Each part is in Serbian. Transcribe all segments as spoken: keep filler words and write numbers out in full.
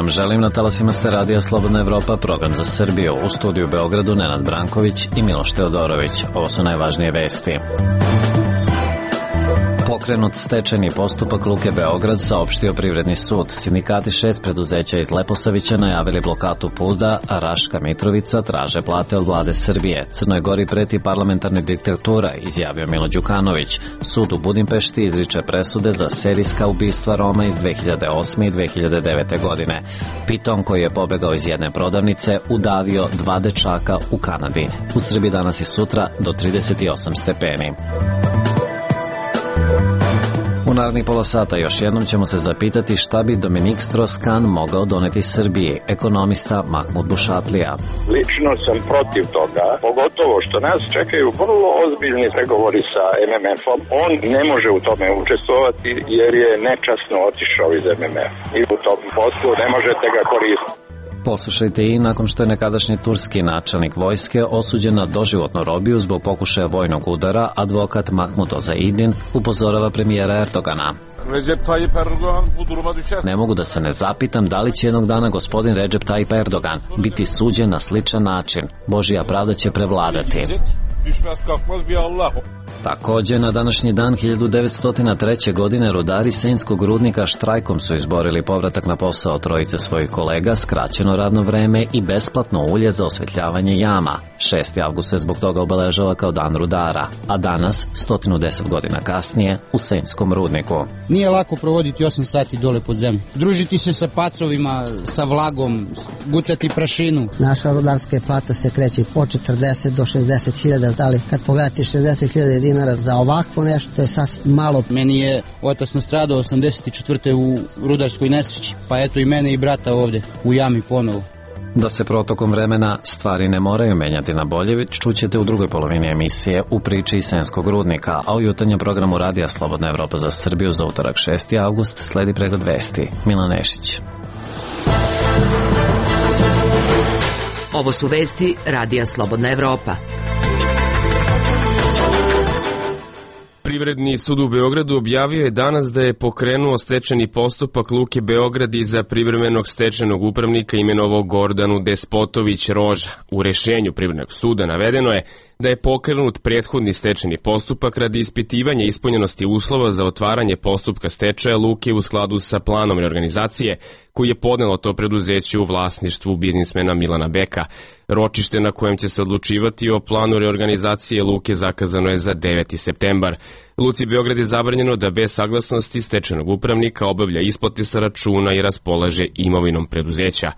vam želim, na talasima ste Radija Slobodna Evropa, program za Srbiju. U studiju u Beogradu Nenad Branković i Miloš Teodorović. Ovo su najvažnije vesti. Pokrenut stečajni postupak Luke Beograd, saopštio Privredni sud. Sindikati šest preduzeća iz Leposavića najavili blokadu puta, a Raška Mitrovica traže plate od vlade Srbije. Crnoj Gori preti parlamentarna diktatura, izjavio Milo Đukanović. Sud u Budimpešti izriče presude za serijska ubistva Roma iz dve hiljade osme i dve hiljade devete. godine. Piton, koji je pobegao iz jedne prodavnice, udavio dva dečaka u Kanadi. U Srbiji danas i sutra do trideset osam stepeni. U narednih pola sata još jednom ćemo se zapitati šta bi Dominik Strauss-Kahn mogao doneti Srbiji, ekonomista Mahmud Bušatlija. Lično sam protiv toga, pogotovo što nas čekaju vrlo ozbiljni pregovori sa em em efom. On ne može u tome učestvovati jer je nečasno otišao iz em em efa. I u tom poslu ne možete ga koristiti. Poslušajte i nakon što je nekadašnji turski načelnik vojske osuđen na doživotnu robiju zbog pokušaja vojnog udara, advokat Mahmud Ozaidin upozorava premijera Erdogana. Recep Tayyip Erdogan bu duruma düşer. Ne mogu da se ne zapitam da li će jednog dana gospodin Recep Tayyip Erdogan biti suđen na sličan način. Božja pravda će prevladati. Düşmez kalkmaz bir Allah. Takođe, na današnji dan hiljadu devetsto treće. godine rudari Senjskog rudnika štrajkom su izborili povratak na posao trojice svojih kolega, skraćeno radno vreme i besplatno ulje za osvetljavanje jama. šesti avgust se zbog toga obeležava kao dan rudara, a danas, sto deset godina kasnije, u Senjskom rudniku. Nije lako provoditi osam sati dole pod zemljom. Družiti se sa pacovima, sa vlagom, gutati prašinu. Naša rudarska plata se kreće od četrdeset do šezdeset hiljada, ali kad pogledate šezdeset hiljada dinara za ovakvo nešto, to je sasvim malo. Meni je otac nastradao osamdeset četvrte u rudarskoj nesreći, pa eto i mene i brata ovde u jami ponovo. Da se protokom vremena stvari ne moraju menjati na bolje, već čućete u drugoj polovini emisije u priči iz Senjskog rudnika, a u jutarnjem programu Radija Slobodna Evropa za Srbiju za utorak šesti avgust sledi pregled vesti. Milan Nešić. Ovo su vesti Radija Slobodna Evropa. Privredni sud u Beogradu objavio je danas da je pokrenuo stečajni postupak Luke Beograd i za privremenog stečajnog upravnika imenovao Gordanu Despotović Roža. U rešenju Privrednog suda navedeno je da je pokrenut prethodni stečajni postupak radi ispitivanja ispunjenosti uslova za otvaranje postupka stečaja Luke u skladu sa planom reorganizacije koji je podnelo to preduzeće u vlasništvu biznismena Milana Beka. Ročište na kojem će se odlučivati o planu reorganizacije Luke zakazano je za deveti septembar. Luci Beograd je zabranjeno da bez saglasnosti stečajnog upravnika obavlja isplate sa računa i raspolaže imovinom preduzeća.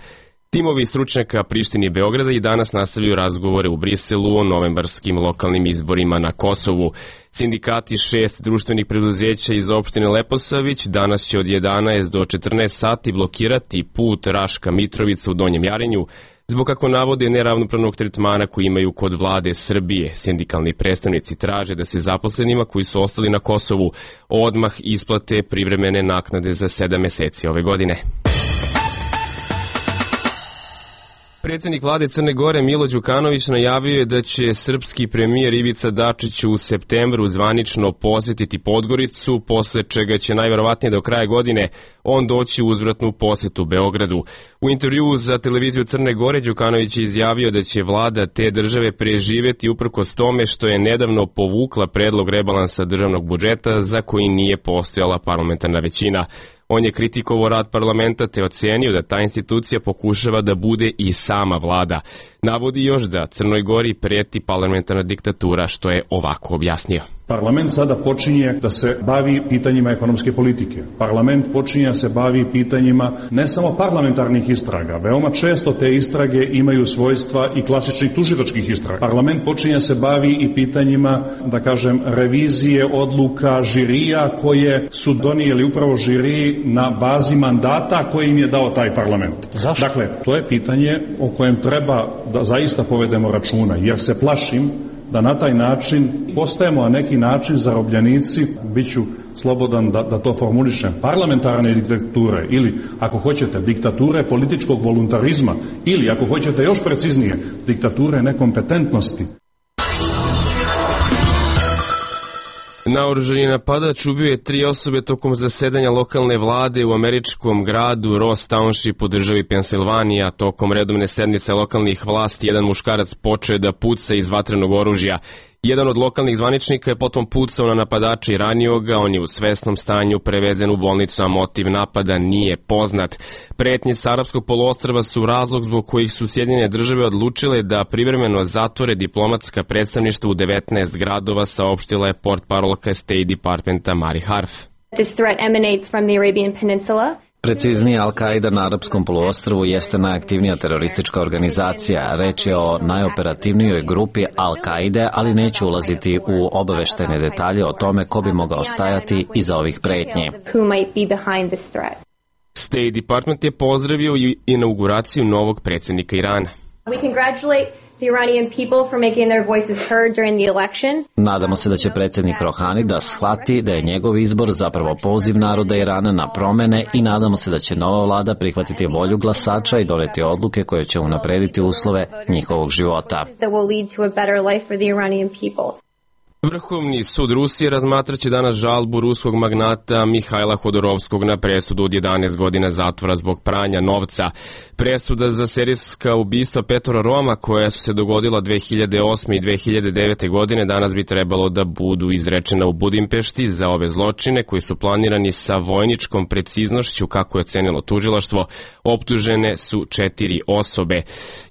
Timovi stručnjaka Prištine i Beograda i danas nastavljaju razgovore u Briselu o novembarskim lokalnim izborima na Kosovu. Sindikati šest društvenih preduzeća iz opštine Leposavić danas će od jedanaest do četrnaest sati blokirati put Raška Mitrovica u Donjem Jarinju, zbog kako navode neravnopravnog tretmana koji imaju kod vlade Srbije. Sindikalni predstavnici traže da se zaposlenima koji su ostali na Kosovu odmah isplate privremene naknade za sedam meseci ove godine. Predsjednik vlade Crne Gore Milo Đukanović najavio je da će srpski premijer Ivica Dačić u septembru zvanično posjetiti Podgoricu, posle čega će najverovatnije do kraja godine on doći u uzvratnu posjetu Beogradu. U intervjuu za televiziju Crne Gore Đukanović je izjavio da će vlada te države preživeti uprkos tome što je nedavno povukla predlog rebalansa državnog budžeta za koji nije postojala parlamentarna većina. On je kritikovao rad parlamenta te ocenio da ta institucija pokušava da bude i sama vlada. Navodi još da Crnoj Gori preti parlamentarna diktatura, što je ovako objasnio. Parlament sada počinje da se bavi pitanjima ekonomske politike. Parlament počinje da se bavi pitanjima ne samo parlamentarnih istraga. Veoma često te istrage imaju svojstva i klasičnih tužilačkih istraga. Parlament počinje da se bavi i pitanjima, da kažem, revizije odluka žirija koje su donijeli upravo žiriji na bazi mandata koje im je dao taj parlament. Zašto? Dakle, to je pitanje o kojem treba da zaista povedemo računa, jer se plašim da na taj način postajemo na neki način zarobljenici, bit ću slobodan da, da to formulišem, parlamentarne diktature ili, ako hoćete, diktature političkog voluntarizma ili, ako hoćete još preciznije, diktature nekompetentnosti. Naoružani napadač ubio je tri osobe tokom zasedanja lokalne vlade u američkom gradu Ross Township u državi Pensilvanija. Tokom redovne sednice lokalnih vlasti jedan muškarac počeo da puca iz vatrenog oružja. Jedan od lokalnih zvaničnika je potom pucao na napadača i ranio ga, on je u svesnom stanju prevezen u bolnicu, a motiv napada nije poznat. Pretnje s arapskog poluostrva su razlog zbog kojih su Sjedinjene države odlučile da privremeno zatvore diplomatska predstavništva u devetnaest gradova, saopštila je portparolka State Departmenta Mari Harf. This threat emanates from the Arabian Peninsula. Preciznije, Al-Qaida na arapskom poluostrvu jeste najaktivnija teroristička organizacija. Reč je o najoperativnijoj grupi Al-Qaide, ali neću ulaziti u obaveštene detalje o tome ko bi mogao stajati iza ovih pretnji. State Department je pozdravio i inauguraciju novog predsjednika Irana. We congratulate the Iranian people for making their voices heard during the election. Nadamo se da će predsjednik Rohani da shvati da je njegov izbor zapravo poziv naroda Irana na promene i nadamo se da će nova vlada prihvatiti volju glasača i doneti odluke koje će unaprediti uslove njihovog života. That will lead to a better life for the Iranian people. Vrhovni sud Rusije razmatraće danas žalbu ruskog magnata Mihajla Hodorovskog na presudu od jedanaest godina zatvora zbog pranja novca. Presuda za serijska ubistva Petra Roma, koja su se dogodila dve hiljade osme i dve hiljade devete godine, danas bi trebalo da budu izrečena u Budimpešti. Za ove zločine, koji su planirani sa vojničkom preciznošću, kako je ocenilo tužilaštvo, optužene su četiri osobe.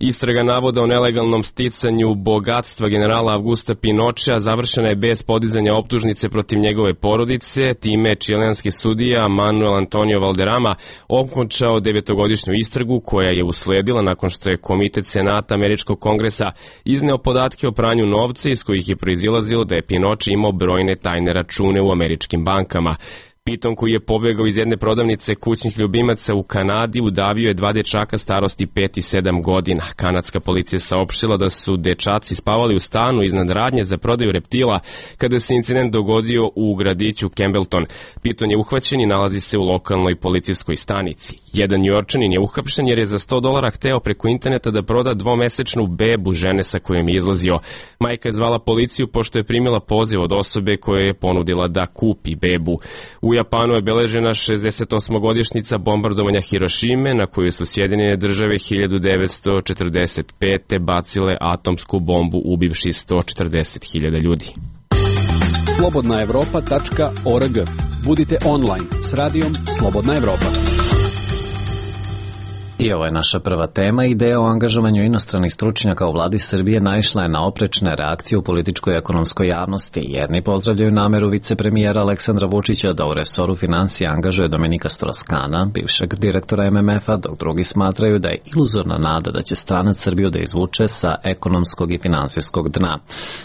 Istraga navoda o nelegalnom sticanju bogatstva generala Augusta Pinochea završena je bez podizanja optužnice protiv njegove porodice. Time je čilenski sudija Manuel Antonio Valderrama okončao devetogodišnju istragu koja je usledila nakon što je Komitet Senata Američkog kongresa izneo podatke o pranju novca iz kojih je proizilazilo da je Pinoche imao brojne tajne račune u američkim bankama. Piton, koji je pobegao iz jedne prodavnice kućnih ljubimaca u Kanadi, udavio je dva dečaka starosti pet i sedam godina. Kanadska policija saopštila da su dečaci spavali u stanu iznad radnje za prodaju reptila kada se incident dogodio u gradiću Campbellton. Piton je uhvaćen i nalazi se u lokalnoj policijskoj stanici. Jedan Njujorčanin je uhapšen jer je za sto dolara hteo preko interneta da proda dvomesečnu bebu žene sa kojom je izlazio. Majka je zvala policiju pošto je primila poziv od osobe koja je ponudila da kupi bebu. U Japanu je beležena šezdesetosmogodišnjica bombardovanja Hirošime, na koju su Sjedinjene države hiljadu devetsto četrdeset pete. bacile atomsku bombu ubivši sto četrdeset hiljada ljudi. slobodna evropa tačka org. Budite online s radijom Slobodna Evropa. I ovo je naša prva tema. Ideja o angažovanju inostranih stručnjaka u vladi Srbije naišla je na oprečne reakcije u političkoj i ekonomskoj javnosti. Jedni pozdravljaju nameru vicepremijera Aleksandra Vučića da u resoru financija angažuje Dominika Stroskana, bivšeg direktora em em efa, dok drugi smatraju da je iluzorna nada da će stranac Srbiju da izvuče sa ekonomskog i finansijskog dna.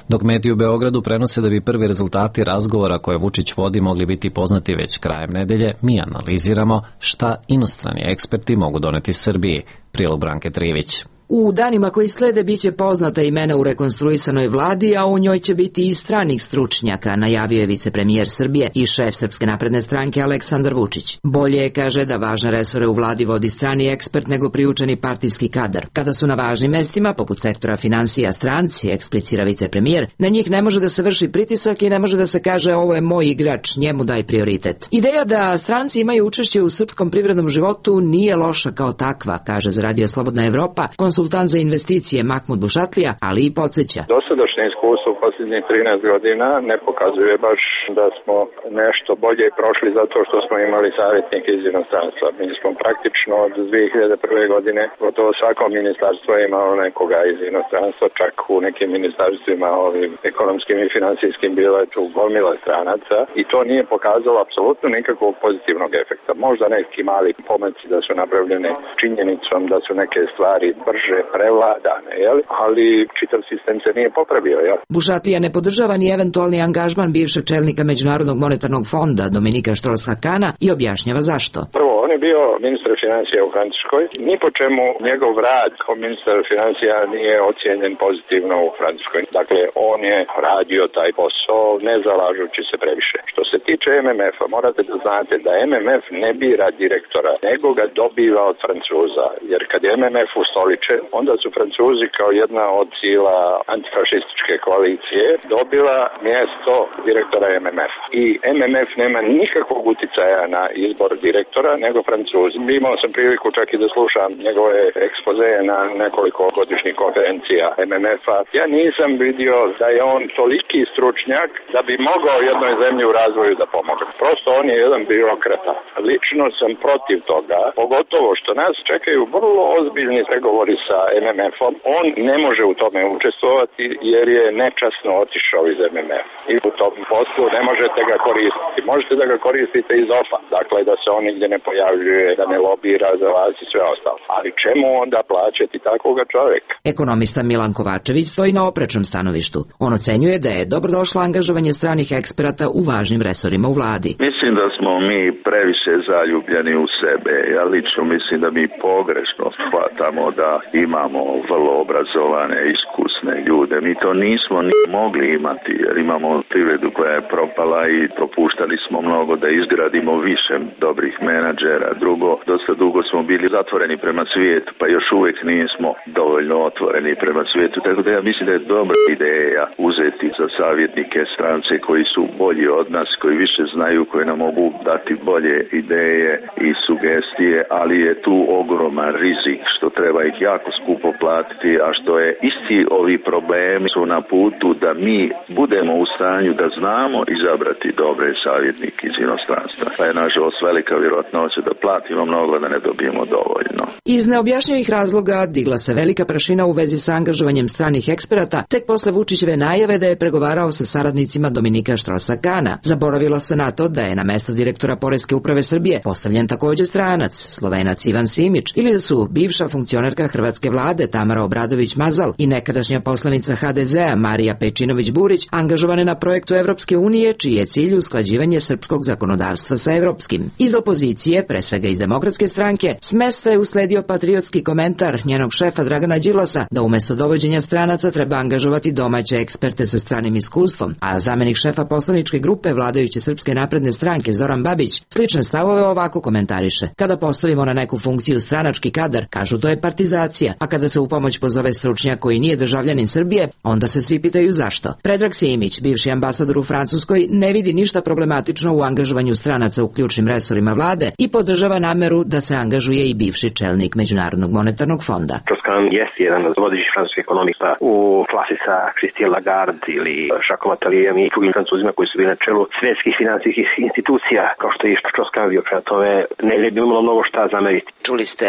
Dok mediji u Beogradu prenose da bi prvi rezultati razgovora koje Vučić vodi mogli biti poznati već krajem nedelje, mi analiziramo šta inostrani eksperti mogu doneti Srbiji. Prilog Branke Trivić. U danima koji slede biće poznata imena u rekonstruisanoj vladi, a u njoj će biti i stranih stručnjaka, najavio je vicepremijer Srbije i šef Srpske napredne stranke Aleksandar Vučić. Bolje je, kaže, da važne resore u vladi vodi strani ekspert nego priučeni partijski kadar. Kada su na važnim mestima, poput sektora finansija, stranci, eksplicira vicepremijer, na njih ne može da se vrši pritisak i ne može da se kaže ovo je moj igrač, njemu daj prioritet. Ideja da stranci imaju učešće u srpskom privrednom životu nije loša kao takva, kaže za Radio Slobodna Evropa konsultant za investicije Mahmud Bušatlija, ali i podsjeća. Dosadašnje iskustvo u posljednjih trinaest godina ne pokazuje baš da smo nešto bolje prošli zato što smo imali savjetnike iz inostranstva. Mi smo praktično od dve hiljade prve. godine gotovo svako ministarstvo je imalo nekoga iz inostranstva, čak u nekim ministarstvima ovim ekonomskim i finansijskim bilo je tu gomila stranaca i to nije pokazalo apsolutno nikakvog pozitivnog efekta. Možda neki mali pomaci da su napravljene činjenicom da su neke stvari brže prevladane, jel? Ali čitav sistem se nije popravio. Jel? Bušatlija ne podržava ni eventualni angažman bivšeg čelnika Međunarodnog monetarnog fonda Dominika Štroskana i objašnjava zašto. Prvo, oni je bio ministar financija u Francuskoj. Ni po čemu njegov rad kao ministar financija nije ocijenjen pozitivno u Francuskoj. Dakle, on je radio taj posao ne zalažući se previše. Što se tiče M M F-a, morate da znate da M M F ne bira direktora, nego ga dobiva od Francuza. Jer kad je M M F ustoličen, onda su Francuzi kao jedna od sila antifašističke koalicije dobila mjesto direktora M M F-a. I M M F nema nikakvog uticaja na izbor direktora, nego Francuzi. Imao sam priliku čak i da slušam njegove ekspozeje na nekoliko godišnjih konferencija M M F-a. Ja nisam vidio da je on toliki stručnjak da bi mogao jednoj zemlji u razvoju da pomogne. Prosto on je jedan birokrata. Lično sam protiv toga, pogotovo što nas čekaju vrlo ozbiljni pregovori sa M M F-om. On ne može u tome učestvovati jer je nečasno otišao iz M M F. I u tom poslu ne možete ga koristiti. Možete da ga koristite iz O F A. Dakle, da se on nigdje ne pojavljuje, da ne lobira za vas i sve ostalo. Ali čemu onda plaćati takvoga čovjeka? Ekonomista Milan Kovačević stoji na oprečnom stanovištu. On ocenjuje da je dobrodošlo angažovanje stranih eksperata u važnim resorima u vladi. Mislim da smo mi previše zaljubljeni u sebe. Ja lično mislim da mi pogrešno shvatamo da imamo vrlo obrazovane, iskusne ljude. Mi to nismo ni mogli imati jer imamo privredu koja je propala i propuštali smo mnogo da izgradimo više dobrih menadžera. Drugo, dosta dugo smo bili zatvoreni prema svijetu, pa još uvijek nismo dovoljno otvoreni prema svijetu. Tako da ja mislim da je dobra ideja uzeti za savjetnike strance koji su bolji od nas, koji više znaju, koji nam mogu dati bolje ideje i sugestije, ali je tu ogroman rizik što treba ih jako skupo platiti, a što je isti ovi problemi su na putu da mi budemo u stanju da znamo izabrati dobre savjetnike iz inostranstva. Pa je nažalost velika vjerojatnoća da platimo mnogo da ne dobijemo dovoljno. Iz neobjašnjivih razloga digla se velika prašina u vezi sa angažovanjem stranih eksperata tek posle Vučićeve najave da je pregovarao sa saradnicima Dominika Štrosa-Kana. Zaboravilo se na to da je na mesto direktora Poreske uprave Srbije postavljen takođe stranac, Slovenac Ivan Simić, ili da su bivša funkcionerka hrvatske vlade Tamara Obradović-Mazal i nekadašnja poslanica H D Z-a Marija Pejčinović-Burić angažovane na projektu Evropske unije, čiji je cilj usklađivanje srpskog zakonodavstva sa evropskim. Iz opozicije, pre svega iz Demokratske stranke, s mesta je usledio patriotski komentar njenog šefa Dragana Đilasa da umesto dovođenja stranaca treba angažovati domaće eksperte sa stranim iskustvom, a zamenik šefa poslaničke grupe vladajuće Srpske napredne stranke Zoran Babić slične stavove ovako komentariše. Kada postavimo na neku funkciju stranački kadar, kažu to je partizacija, a kada se u pomoć pozove stručnjak koji nije državljanin Srbije, onda se svi pitaju zašto. Predrag Simić, bivši ambasador u Francuskoj, ne vidi ništa problematično u angažovanju stranaca u ključnim resorima vlade i podržava nameru da se angažuje i bivši čelnik Međunarodnog monetarnog fonda. Strauss-Kahn jeste jedan od vodećih francuskih ekonomista u klasi sa Christine Lagarde ili Jacques Attalijem i drugim Francuzima koji su bili na čelu svetskih finansijskih institucija, kao što je i Strauss-Kahn bio. Prema tome, ne bi imalo mnogo šta zameriti. Čuli ste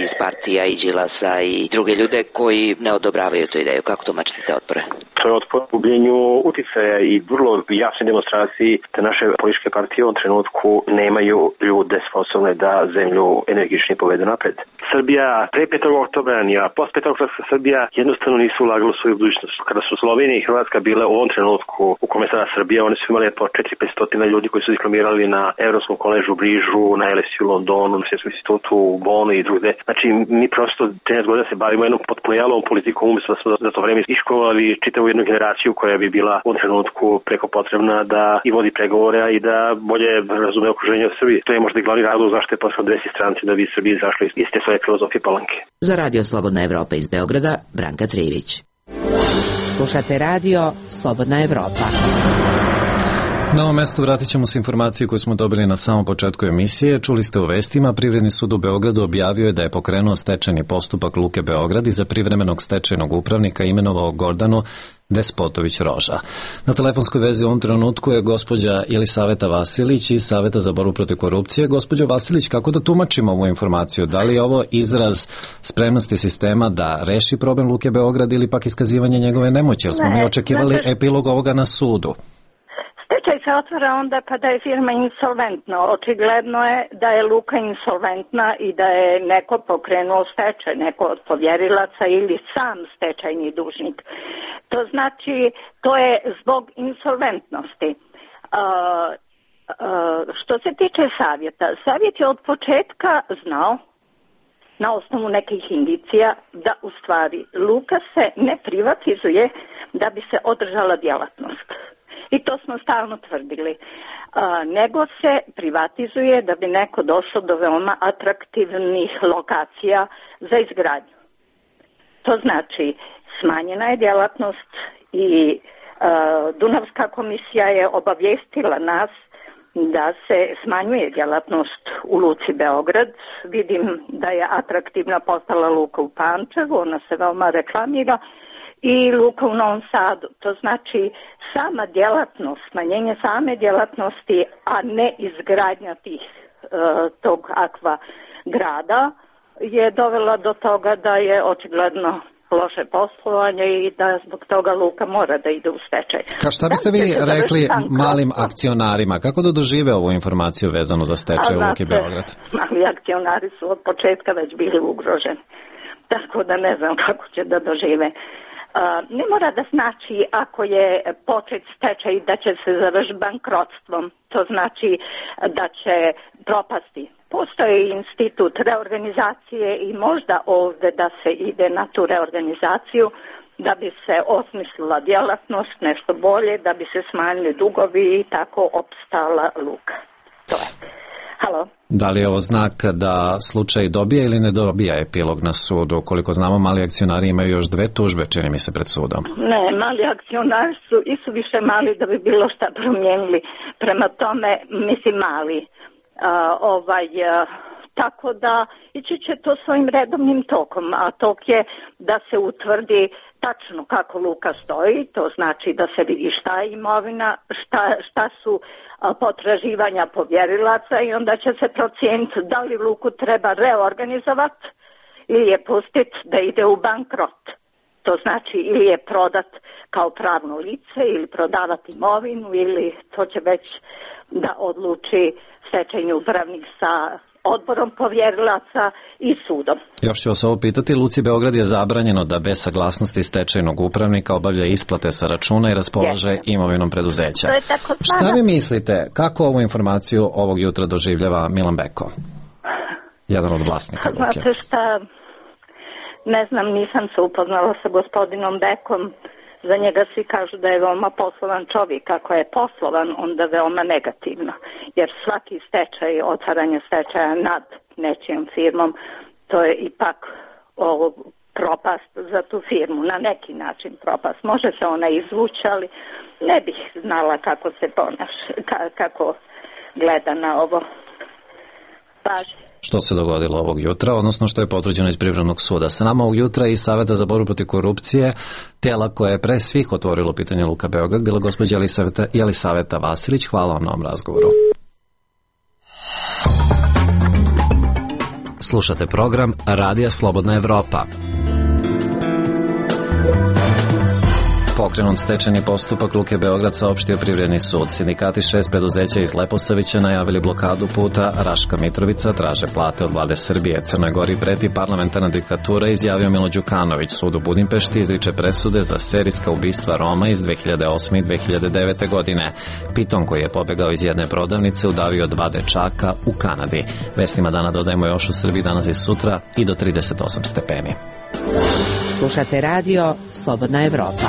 iz partija i Đilasa i druge ljude koji ne odobravaju tu ideju. Kako tumačite te otpore? To je otpor gubljenju uticaja i vrlo jasne demonstraciji da naše političke partije u ovom trenutku nemaju ljude sposobne da zemlju energični povedu napred. Srbija pre petog oktobra, a post petog oktobra Srbija jednostavno nisu ulagali u svoju budućnost. Kada su Slovenija i Hrvatska bile u ovom trenutku u kome sada Srbija, oni su imali po četiri do pet stotina ljudi koji su diplomirali na Evropskom koležu u Brižu, na L S U u Londonu, na Svjetskom institutu u Bonu i drugde. Znači, mi prosto trinaest godina se bavimo jednom potpuno jalovom politikom, umjesto da smo za to vreme iškolovali čitavu jednu generaciju koja bi bila u ovom trenutku preko potrebna da i vodi pregovore i da bolje razume okruženje u Srbiji. To je možda i glavni razlog zašto je posle dvesti stranci da bi Srbiji izašli iz te svoje filozofije palanke. Za Radio Slobodna Evropa iz Beograda, Branka Trivić. Slušate Radio Slobodna Evropa. Na ovom mestu vratit ćemo se informaciju koju smo dobili na samom početku emisije. Čuli ste u vestima, Privredni sud u Beogradu objavio je da je pokrenuo stečajni postupak Luke Beograd i za privremenog stečajnog upravnika imenovao Gordanu Despotović-Roža. Na telefonskoj vezi u ovom trenutku je gospođa Jelisaveta Vasilić iz Saveta za borbu protiv korupcije. Gospođo Vasilić, kako da tumačimo ovu informaciju? Da li je ovo izraz spremnosti sistema da reši problem Luke Beograd ili pak iskazivanje njegove nemoći? Jer smo mi očekivali epilog ovoga na sudu. Stečaj se otvara onda kada je firma insolventna. Očigledno je da je Luka insolventna i da je neko pokrenuo stečaj, neko od povjerilaca ili sam stečajni dužnik. To znači, to je zbog insolventnosti. Uh, što se tiče savjeta, savjet je od početka znao na osnovu nekih indicija da u stvari luka se ne privatizuje da bi se održala djelatnost. I to smo stalno tvrdili. A, nego se privatizuje da bi neko došao do veoma atraktivnih lokacija za izgradnju. To znači smanjena je djelatnost i a, Dunavska komisija je obavijestila nas da se smanjuje djelatnost u luci Beograd. Vidim da je atraktivna postala luka u Pančevu, ona se veoma reklamira, i luka u Novom Sadu. To znači sama djelatnost, smanjenje same djelatnosti, a ne izgradnja tih, e, tog akva grada je dovela do toga da je očigledno loše poslovanje i da zbog toga luka mora da ide u stečaj. Ka šta biste vi rekli malim akcionarima? Kako da dožive ovu informaciju vezanu za stečaj u Luki Beograd? Mali akcionari su od početka već bili ugroženi. Tako da ne znam kako će da dožive. Uh, ne mora da znači ako je počet stečaj da će se završiti bankrotstvom. To znači da će propasti. Postoji institut reorganizacije i možda ovdje da se ide na tu reorganizaciju da bi se osmislila djelatnost, nešto bolje, da bi se smanjili dugovi i tako opstala luka. To je. Halo? Da li je ovo znak da slučaj dobija ili ne dobija epilog na sudu? Koliko znamo, mali akcionari imaju još dve tužbe, čini mi se, pred sudom. Ne, mali akcionari su i su više mali da bi bilo šta promijenili. Prema tome, mislim mali. A, ovaj, a, tako da ići će to svojim redovnim tokom, a tok je da se utvrdi tačno kako luka stoji, to znači da se vidi šta je imovina, šta, šta su a, potraživanja povjerilaca i onda će se procijeniti da li luku treba reorganizovati ili je pustiti da ide u bankrot. To znači ili je prodat kao pravno lice ili prodavati imovinu ili to će već da odluči stečajni upravnik sa odborom povjerilaca i sudom. Još ću vas ovo pitati, Luci Beograd je zabranjeno da bez saglasnosti stečajnog upravnika obavlja isplate sa računa i raspolaže Jeste. imovinom preduzeća. Šta vi mislite, kako ovu informaciju ovog jutra doživljava Milan Beko? Jedan od vlasnika Luke. Znate šta, ne znam, nisam se upoznala sa gospodinom Bekom. Za njega svi kažu da je veoma poslovan čovjek. Ako je poslovan, onda veoma negativno. Jer svaki stečaj, otvaranje stečaja nad nečijom firmom, to je ipak o, propast za tu firmu. Na neki način propast. Može se ona izvući, ali ne bih znala kako se ponaša, kako gleda na ovo. Paži. Što se dogodilo ovog jutra, odnosno što je potvrđeno iz Privrednog suda. Sa nama ovog jutra i Saveta za borbu protiv korupcije, tijela koje je pre svih otvorilo pitanje Luka Beograd, bila gospođa Jelisaveta, Jelisaveta Vasilić. Hvala vam na ovom razgovoru. Slušate program Radija Slobodna Evropa. Pokrenut stečajni postupak Luke Beograd, saopštio Privredni sud. Sindikati šest preduzeća iz Leposavića najavili blokadu puta Raška Mitrovica, traže plate od vlade Srbije. Crnoj Gori preti parlamentarna diktatura, izjavio Milo Đukanović. Sud u Budimpešti izriče presude za serijska ubistva Roma iz dve hiljade osme i dve hiljade devete godine. Piton koji je pobegao iz jedne prodavnice udavio dva dečaka u Kanadi. Vestima dana dodajemo još u Srbiji danas i sutra i do trideset osam stepeni. Slušate radio Slobodna Evropa.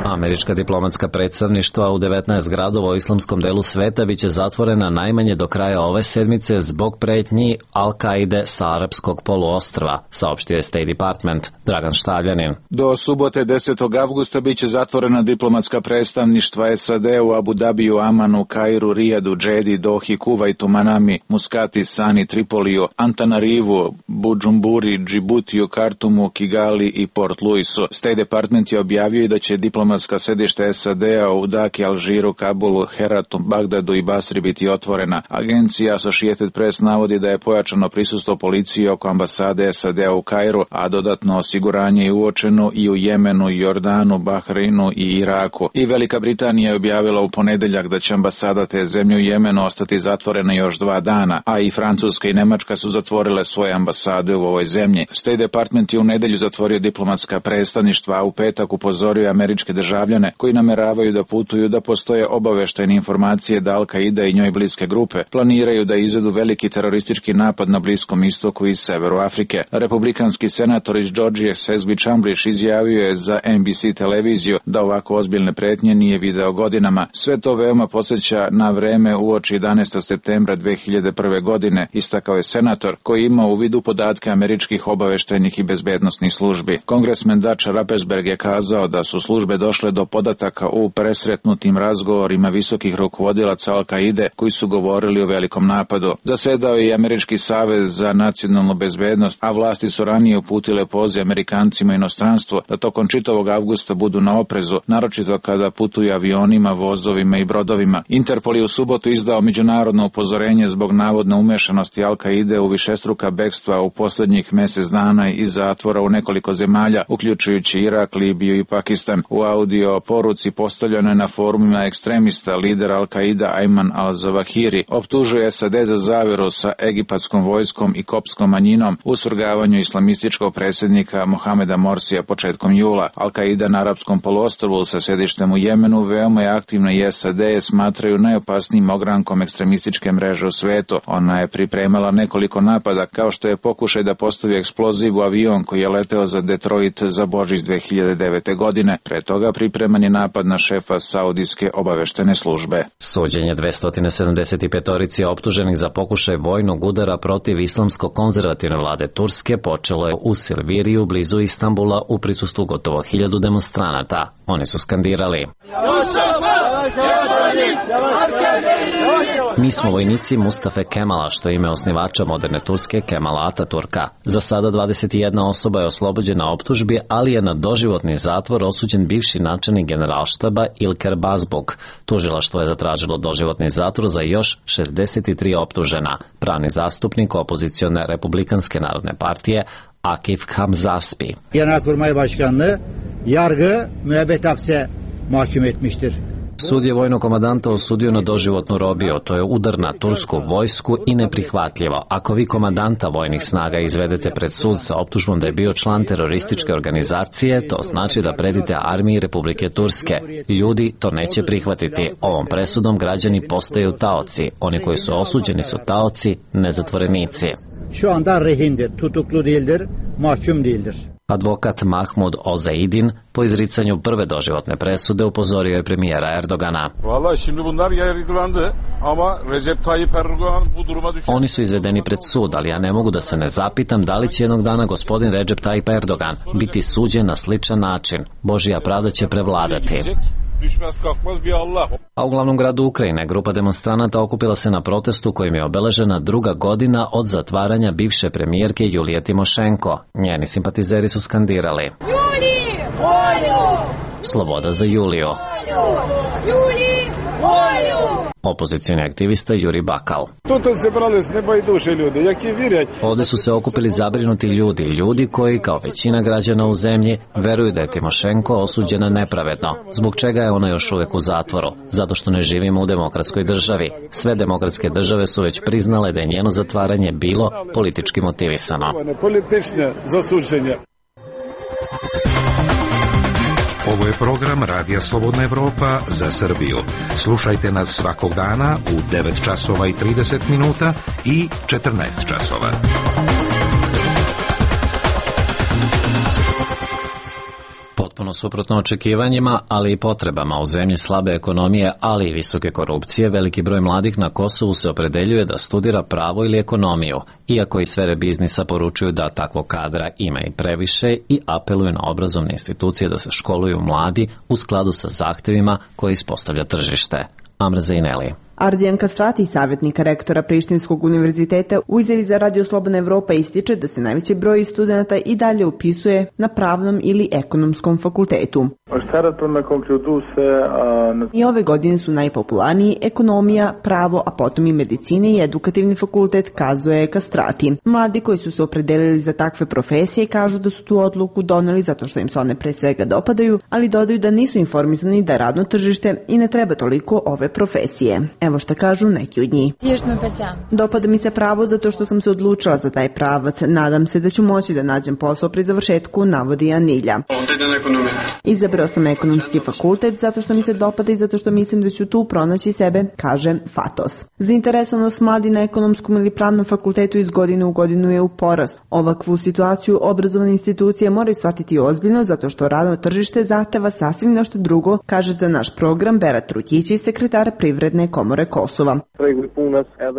Američka diplomatska predstavništva u devetnaest gradova u islamskom delu sveta biće zatvorena najmanje do kraja ove sedmice zbog pretnji Al-Kaide sa arapskog poluostrva, saopštio je State Department. Dragan Štavljanin. Do subote desetog avgusta biće zatvorena diplomatska predstavništva S A D u Abu Dabiju, Amanu, Kairu, Rijadu, Džedi, Dohi, Kuvajtu, Manami, Muskati, Sani, Tripoliju, Antanarivu, Budžumburi, Džibutiju, Kartumu, Kigali i Port Louisu. State Department je objavio i da će diplomatska sedište S A D-a u Daki, Alžiru, Kabulu, Heratu, Bagdadu i Basri biti otvorena. Agencija Associated Press navodi da je pojačano prisustvo policije oko ambasade S A D-a u Kairu, a dodatno osiguranje je uočeno i u Jemenu, Jordanu, Bahreinu i Iraku. I Velika Britanija je objavila u ponedeljak da će ambasada te zemlje u Jemenu ostati zatvorena još dva dana, a i Francuska i Nemačka su zatvorile svoje ambasade u ovoj zemlji. State Department je u nedelju zatvorio diplomatska predstavništva, a u petak upozorio američke državljane koji nameravaju da putuju da postoje obaveštajne informacije da Al-Kaida i njoj bliske grupe planiraju da izvedu veliki teroristički napad na Bliskom istoku i severu Afrike. Republikanski senator iz Georgije Sesbi Chamblish izjavio je za N B C televiziju da ovako ozbiljne pretnje nije video godinama. Sve to veoma podsjeća na vreme uoči jedanaestog septembra dve hiljade prve. godine, istakao je senator koji ima u vidu podatke američkih obaveštajnih i bezbednosnih službi. Kongresmen Dutch Rappesberg je kazao da su službe došle do podataka u presretnutim razgovorima visokih rukovodilaca Al-Kaide koji su govorili o velikom napadu. Zasedao je i Američki savez za nacionalnu bezbednost, a vlasti su ranije uputile poziv Amerikancima inostranstvu da tokom čitavog avgusta budu na oprezu, naročito kada putuju avionima, vozovima i brodovima. Interpol je u subotu izdao međunarodno upozorenje zbog navodne umešanosti Al-Kaide u višestruka bekstva u posljednjih mesec dana iz zatvora u nekoliko zemalja, uključujući Irak, Libiju i Pakistan. U audio poruci postavljenoj na forumima ekstremista lider Al-Kaida Ayman al-Zawahiri optužuje S A D za zaveru sa egipatskom vojskom i kopskom manjinom u svrgavanju islamističkog predsjednika Mohameda Morsija početkom jula. Al-Kaida na arapskom poluostrvu sa sedištem u Jemenu veoma je aktivna i S A D je smatraju najopasnijim ogrankom ekstremističke mreže u svetu. Ona je pripremala nekoliko napada, kao što je pokušaj da postavi eksploziv u avion koji je leteo za Detroit za Božić dve hiljade devete. godine. Pre toga pripreman je napad na šefa Saudijske obaveštene službe. Suđenje dvesta sedamdeset pet optuženih za pokušaj vojnog udara protiv islamsko-konzervativne vlade Turske počelo je u Silviriju blizu Istanbula u prisustvu gotovo hiljadu demonstranata. Oni su skandirali: Mi smo vojnici Mustafe Kemala, što je ime osnivača moderne Turske Kemala Ataturka. Za sada dvadeset jedna osoba je oslobođena optužbi, ali je na doživotni zatvor osuđen bivši načelnik generalštaba Ilker Bazbog. Tužilaštvo je zatražilo doživotni zatvor za još šezdeset tri optužena. Pravni zastupnik opozicione Republikanske narodne partije Akif Hamzaspi. Genelkurmay Başkanlığı yargı müebbet hapse mahkum etmiştir. Sud je vojnog komandanta osudio na doživotnu robiju. To je udar na tursku vojsku i neprihvatljivo. Ako vi komandanta vojnih snaga izvedete pred sud sa optužbom da je bio član terorističke organizacije, to znači da predite armiji Republike Turske. Ljudi to neće prihvatiti. Ovom presudom građani postaju taoci. Oni koji su osuđeni su taoci, ne zatvorenici. Şu anda rehindir, tutuklu değildir, mahkum değildir. Advokat Mahmud Ozeidin po izricanju prve doživotne presude upozorio je premijera Erdogana. Vallahi şimdi bunlar yargılandı ama Recep Tayyip Erdogan bu duruma düşer. Oni su izvedeni pred sud, ali ja ne mogu da se ne zapitam da li će jednog dana gospodin Recep Tayyip Erdogan biti suđen na sličan način. Božja pravda će prevladati. A u glavnom gradu Ukrajine grupa demonstranata okupila se na protestu kojim je obeležena druga godina od zatvaranja bivše premijerke Julije Timošenko. Njeni simpatizeri su skandirali: Juli! Volju! Sloboda za Juliju! Juli! Volju! Opozicioni aktivista Juri Bakal. Ovde su se okupili zabrinuti ljudi, ljudi koji, kao većina građana u zemlji, veruju da je Timošenko osuđena nepravedno. Zbog čega je ona još uvek u zatvoru? Zato što ne živimo u demokratskoj državi. Sve demokratske države su već priznale da je njeno zatvaranje bilo politički motivisano. Ovo je program Radija Slobodna Evropa za Srbiju. Slušajte nas svakog dana u devet časova i trideset minuta i četrnaest časova. Potpuno suprotno očekivanjima, ali i potrebama u zemlji slabe ekonomije, ali i visoke korupcije, veliki broj mladih na Kosovu se opredeljuje da studira pravo ili ekonomiju, iako i sfere biznisa poručuju da takvog kadra ima i previše i apeluju na obrazovne institucije da se školuju mladi u skladu sa zahtevima koje ispostavlja tržište. Amra Zaineli. Ardijan Kastrati, savjetnika rektora Prištinskog univerziteta, u izjavi za Radio Slobodna Evropa ističe da se najveći broj studenata i dalje upisuje na pravnom ili ekonomskom fakultetu. I ove godine su najpopularniji ekonomija, pravo, a potom i medicina i edukativni fakultet, kazuje Kastrati. Mladi koji su se opredelili za takve profesije kažu da su tu odluku doneli zato što im se one pre svega dopadaju, ali dodaju da nisu informisani da je radno tržište i ne treba toliko ove profesije. Evo šta kažu neki od njih. Dopada mi se pravo zato što sam se odlučila za taj pravac. Nadam se da ću moći da nađem posao pri završetku, navodi Anilja. Izabrao sam ekonomski fakultet zato što mi se dopada i zato što mislim da ću tu pronaći sebe, kaže Fatos. Zainteresovanost mladi na ekonomskom ili pravnom fakultetu iz godine u godinu je u porastu. Ovakvu situaciju obrazovne institucije moraju shvatiti ozbiljno zato što radno tržište zahteva sasvim nešto drugo, kaže za naš program Berat Rukići, sekretar Privredne komore Kosova.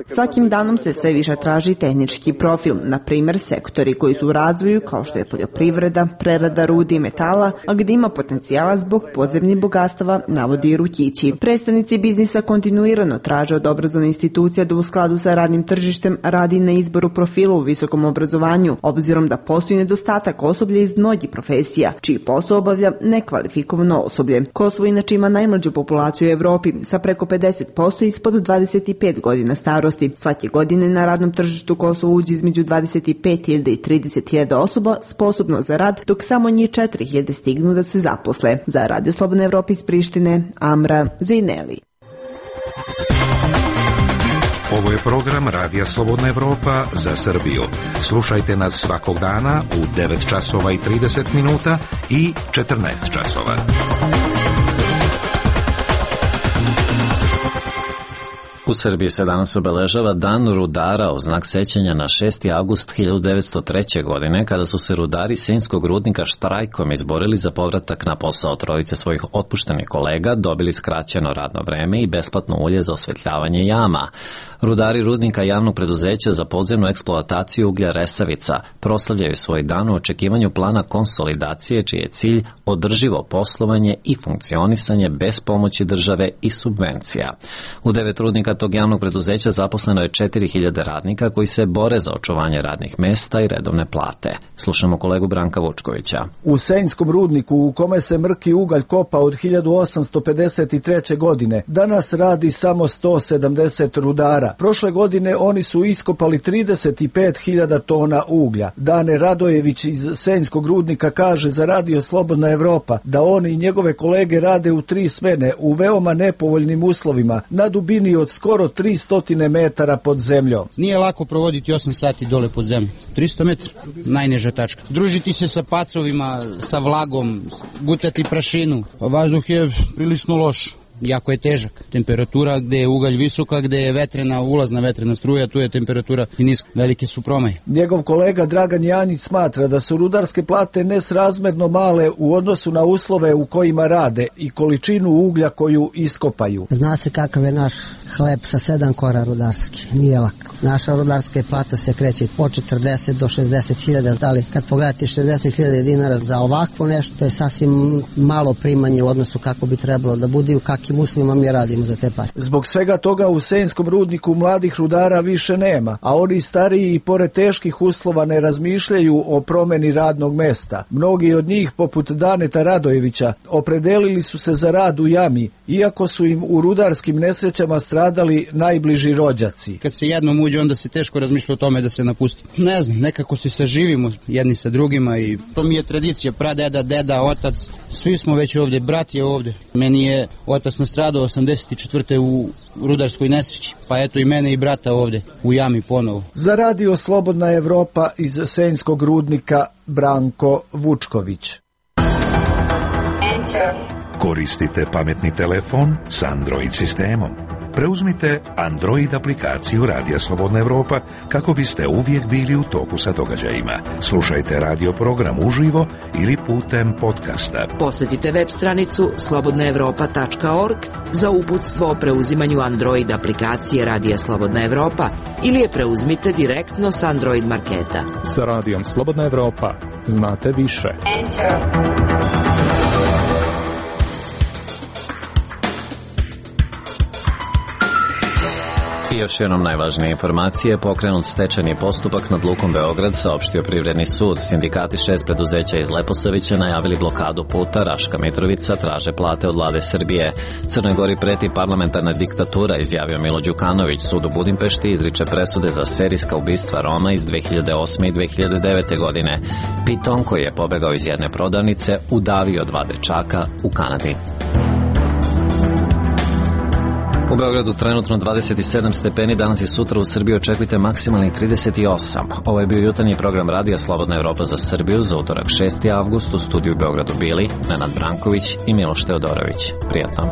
Svakim danom se sve više traži tehnički profil, na primjer sektori koji su u razvoju kao što je poljoprivreda, prerada rudi i metala, a gdje ima potencijala zbog podzemnih bogatstava, navodi Rukići. Predstavnici biznisa kontinuirano traže od obrazovne institucija da u skladu sa radnim tržištem radi na izboru profila u visokom obrazovanju, obzirom da postoji nedostatak osoblja iz mnogih profesija, čiji posao obavlja nekvalifikovano osoblje. Kosovo inače ima najmlađu populaciju u Evropi, sa preko pedeset posto ispod dvadeset pet godina starosti. Svake godine na radnom tržištu Kosovo uđe između dvadeset pet hiljada i trideset hiljada osoba sposobno za rad, dok samo njih četiri hiljade stignu da se zaposle. Za Radio Slobodna Evropa iz Prištine, Amra Zejneli. Ovo je program Radija Slobodna Evropa za Srbiju. Slušajte nas svakog dana u devet časova i trideset minuta i četrnaest časova. U Srbiji se danas obeležava Dan rudara u znak sećanja na šesti avgust hiljadu devetsto treće. godine, kada su se rudari Senjskog rudnika štrajkom izborili za povratak na posao. Trojice svojih otpuštenih kolega dobili skraćeno radno vreme i besplatno ulje za osvetljavanje jama. Rudari rudnika javnog preduzeća za podzemnu eksploataciju uglja Resavica proslavljaju svoj dan u očekivanju plana konsolidacije, čiji je cilj održivo poslovanje i funkcionisanje bez pomoći države i subvencija. U devet rudnika tog javnog preduzeća zaposleno je četiri hiljade radnika koji se bore za očuvanje radnih mesta i redovne plate. Slušamo kolegu Branka Vučkovića. U Senjskom rudniku, u kome se mrki ugalj kopa od hiljadu osamsto pedeset treće. godine, danas radi samo sto sedamdeset rudara. Prošle godine oni su iskopali trideset pet hiljada tona uglja. Dane Radojević iz Senjskog rudnika kaže za Radio Slobodna Evropa da on i njegove kolege rade u tri smene u veoma nepovoljnim uslovima na dubini od skoro tristo metara pod zemljom. Nije lako provoditi osam sati dole pod zemljom. tristo metara, najniža tačka. Družiti se sa pacovima, sa vlagom, gutati prašinu. Vazduh je prilično loš. Jako je težak. Temperatura gde je ugalj visoka, gde je vetrena, ulazna vetrena struja, tu je temperatura i niska. Velike su promaje. Njegov kolega Dragan Janjić smatra da su rudarske plate nesrazmerno male u odnosu na uslove u kojima rade i količinu uglja koju iskopaju. Zna se kakav je naš hleb sa sedam kora rudarski. Nije lako. Naša rudarska plata se kreće od četrdeset do šezdeset hiljada. Ali kad pogledate šezdeset hiljada dinara za ovakvo nešto, to je sasvim malo primanje u odnosu kako bi trebalo da bude i u kakvim uslovima mi radimo za te pare. Zbog svega toga u Senjskom rudniku mladih rudara više nema, a oni stariji i pored teških uslova ne razmišljaju o promeni radnog mesta. Mnogi od njih, poput Daneta Radojevića, opredelili su se za rad u jami, iako su im u rudarskim nesrećama stradali najbliži rođaci. Kad se jednom uđe, onda se teško razmišlja o tome da se napusti. Ne znam, nekako se saživimo jedni sa drugima i to mi je tradicija, pradeda, deda, otac, svi smo već ovdje, brat je ovdje. Meni je otac nastradao osamdeset četvrte u rudarskoj nesreći, pa eto i mene i brata ovdje u jami ponovo. Za Radio Slobodna Evropa iz Senjskog rudnika, Branko Vučković. Koristite pametni telefon s Android sistemom. Preuzmite Android aplikaciju Radija Slobodna Evropa kako biste uvijek bili u toku sa događajima. Slušajte radio program uživo ili putem podcasta. Posjetite web stranicu slobodna evropa tačka org za uputstvo o preuzimanju Android aplikacije Radija Slobodna Evropa ili je preuzmite direktno s Android marketa. Sa Radijom Slobodna Evropa znate više. Enter. I još jednom najvažnije informacije, pokrenut stečajni postupak nad Lukom Beograd, saopštio Privredni sud. Sindikati šest preduzeća iz Leposavića najavili blokadu puta Raška Mitrovica, traže plate od vlade Srbije. Crnoj Gori preti parlamentarna diktatura, izjavio Milo Đukanović. Sud u Budimpešti izriče presude za serijska ubistva Roma iz dve hiljade osme i dve hiljade devete. godine. Piton, koji je pobegao iz jedne prodavnice, udavio dva dečaka u Kanadi. U Beogradu trenutno dvadeset sedam stepeni, danas i sutra u Srbiji očekujte maksimalnih trideset osam. Ovo je bio jutarnji program Radija Slobodna Evropa za Srbiju za utorak šesti avgust. U studiju u Beogradu bili Nenad Branković i Miloš Teodorović. Prijatno.